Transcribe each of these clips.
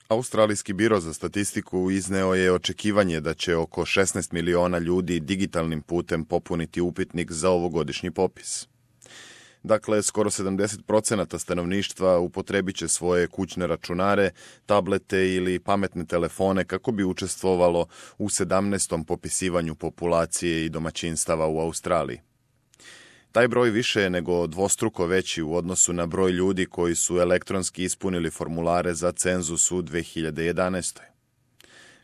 Australijski biro za statistiku izneo je očekivanje da će oko 16 miliona ljudi digitalnim putem popuniti upitnik za ovogodišnji popis. Dakle, skoro 70% stanovništva upotrebit će svoje kućne računare, tablete ili pametne telefone kako bi učestvovalo u 17. popisivanju populacije i domaćinstava u Australiji. Taj broj više je nego dvostruko veći u odnosu na broj ljudi koji su elektronski ispunili formulare za cenzus u 2011.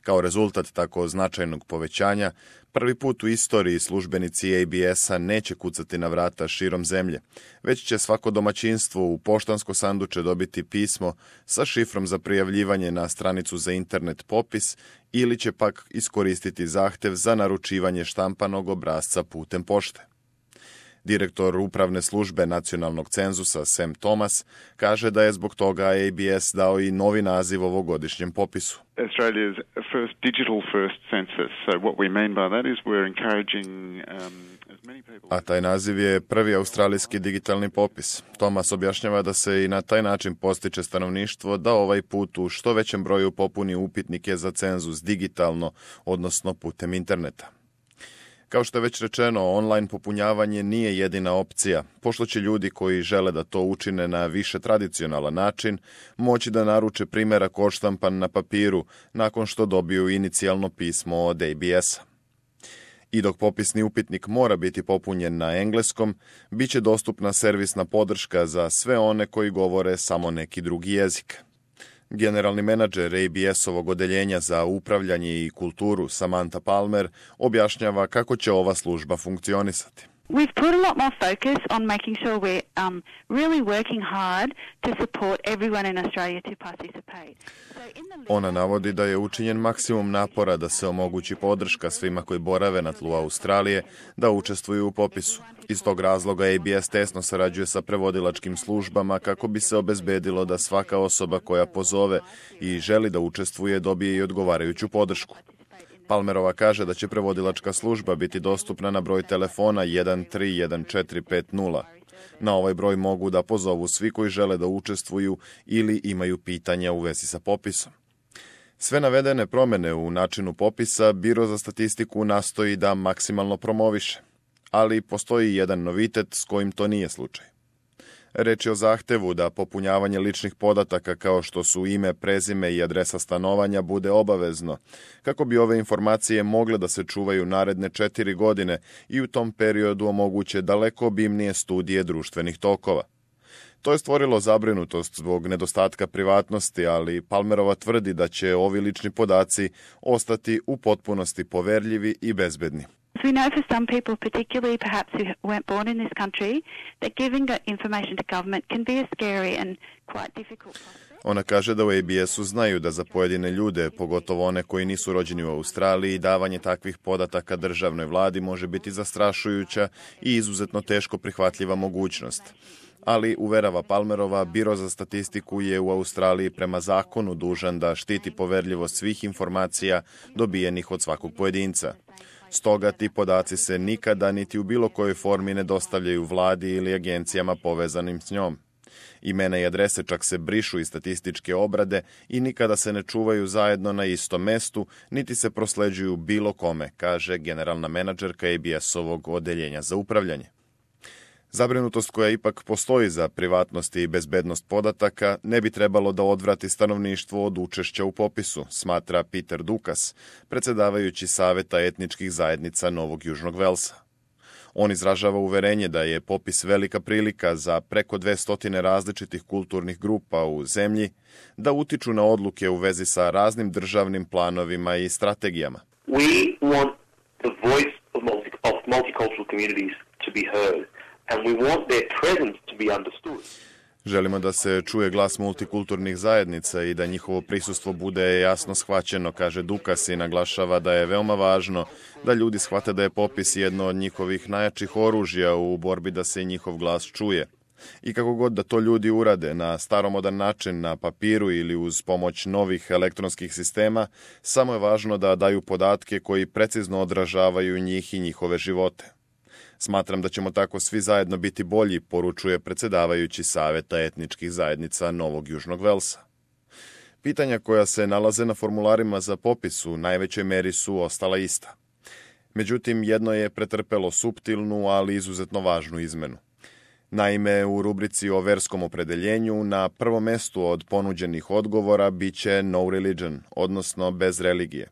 Kao rezultat tako značajnog povećanja, prvi put u istoriji službenici ABS-a neće kucati na vrata širom zemlje, već će svako domaćinstvo u poštansko sanduče dobiti pismo sa šifrom za prijavljivanje na stranicu za internet popis ili će pak iskoristiti zahtev za naručivanje štampanog obrasca putem pošte. Direktor upravne službe nacionalnog cenzusa Sam Thomas kaže da je zbog toga ABS dao i novi naziv ovogodišnjem popisu. Australia's first digital first census. So what we mean by that is we're encouraging as many people. A taj naziv je prvi australijski digitalni popis. Thomas objašnjava da se i na taj način postiče stanovništvo da ovaj put u što većem broju popuni upitnike za cenzus digitalno, odnosno putem interneta. Kao što je već rečeno, online popunjavanje nije jedina opcija, pošto će ljudi koji žele da to učine na više tradicionalan način moći da naruče primjerak odštampan na papiru nakon što dobiju inicijalno pismo od ABS-a. I dok popisni upitnik mora biti popunjen na engleskom, bit će dostupna servisna podrška za sve one koji govore samo neki drugi jezik. Generalni menadžer ABS-ovog odeljenja za upravljanje i kulturu Samantha Palmer objašnjava kako će ova služba funkcionisati. We've put a lot more focus on making sure we're really working hard to support everyone in Australia to participate. Ona navodi da je učinjen maksimum napora da se omogući podrška svima koji borave na tlu Australije da učestvuju u popisu. Iz tog razloga ABS tesno sarađuje sa prevodilačkim službama kako bi se obezbedilo da svaka osoba koja pozove i želi da učestvuje dobije i odgovarajuću podršku. Palmerova kaže da će prevodilačka služba biti dostupna na broj telefona 131450. Na ovaj broj mogu da pozovu svi koji žele da učestvuju ili imaju pitanja u vezi sa popisom. Sve navedene promjene u načinu popisa Biro za statistiku nastoji da maksimalno promoviše, ali postoji jedan novitet s kojim to nije slučaj. Reč je o zahtevu da popunjavanje ličnih podataka kao što su ime, prezime i adresa stanovanja bude obavezno, kako bi ove informacije mogle da se čuvaju naredne 4 godine i u tom periodu omoguće daleko obimnije studije društvenih tokova. To je stvorilo zabrinutost zbog nedostatka privatnosti, ali Palmerova tvrdi da će ovi lični podaci ostati u potpunosti poverljivi i bezbedni. We know for some people, particularly perhaps who weren't born in this country, that giving information to government can be a scary and quite difficult process. Ona kaže da u ABS-u znaju da za pojedine ljude, pogotovo one koji nisu rođeni u Australiji, davanje takvih podataka državnoj vladi može biti zastrašujuća i izuzetno teško prihvatljiva mogućnost. Ali, uverava Palmerova, Biro za statistiku je u Australiji prema zakonu dužan da štiti poverljivost svih informacija dobijenih od svakog pojedinca. Stoga ti podaci se nikada niti u bilo kojoj formi ne dostavljaju vladi ili agencijama povezanim s njom. Imena i adrese čak se brišu iz statističke obrade i nikada se ne čuvaju zajedno na istom mestu, niti se prosleđuju bilo kome, kaže generalna menadžerka ABS-ovog odeljenja za upravljanje. Zabrinutost koja ipak postoji za privatnost i bezbednost podataka ne bi trebalo da odvrati stanovništvo od učešća u popisu, smatra Peter Dukas, predsjedavajući Saveta etničkih zajednica Novog Južnog Velsa. On izražava uverenje da je popis velika prilika za preko 200 različitih kulturnih grupa u zemlji da utiču na odluke u vezi sa raznim državnim planovima i strategijama. We want the voice of multicultural communities to be heard. And we want their presence to be understood. Želimo da se čuje glas multikulturnih zajednica i da njihovo prisustvo bude jasno shvaćeno, kaže Dukas i naglašava da je veoma važno da ljudi shvate da je popis jedno od njihovih najjačih oružja u borbi da se njihov glas čuje. I kako god da to ljudi urade na staromodan način, na papiru ili uz pomoć novih elektronskih sistema, samo je važno da daju podatke koji precizno odražavaju njih i njihove živote. Smatram da ćemo tako svi zajedno biti bolji, poručuje predsjedavajući Saveta etničkih zajednica Novog Južnog Velsa. Pitanja koja se nalaze na formularima za popis u najvećoj meri su ostala ista. Međutim, jedno je pretrpelo suptilnu, ali izuzetno važnu izmenu. Naime, u rubrici o verskom opredeljenju na prvom mestu od ponuđenih odgovora biće no religion, odnosno bez religije.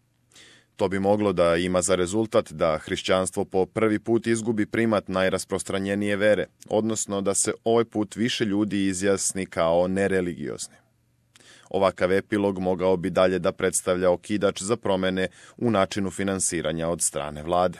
To bi moglo da ima za rezultat da hrišćanstvo po prvi put izgubi primat najrasprostranjenije vere, odnosno da se ovaj put više ljudi izjasni kao nereligiozni. Ovakav epilog mogao bi dalje da predstavlja okidač za promene u načinu finansiranja od strane vlade.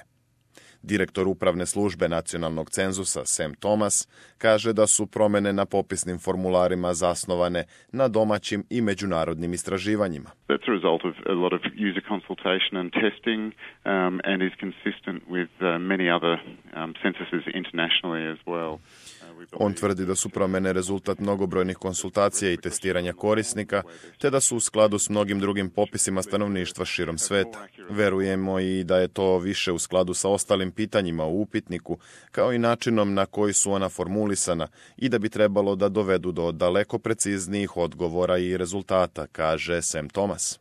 Direktor upravne službe nacionalnog cenzusa Sam Thomas kaže da su promene na popisnim formularima zasnovane na domaćim i međunarodnim istraživanjima. That's a result of a lot of user consultation and testing and is consistent with many other censuses internationally as well. On tvrdi da su promene rezultat mnogobrojnih konsultacija i testiranja korisnika, te da su u skladu s mnogim drugim popisima stanovništva širom sveta. Verujemo i da je to više u skladu sa ostalim pitanjima u upitniku, kao i načinom na koji su ona formulisana i da bi trebalo da dovedu do daleko preciznijih odgovora i rezultata, kaže Sam Thomas.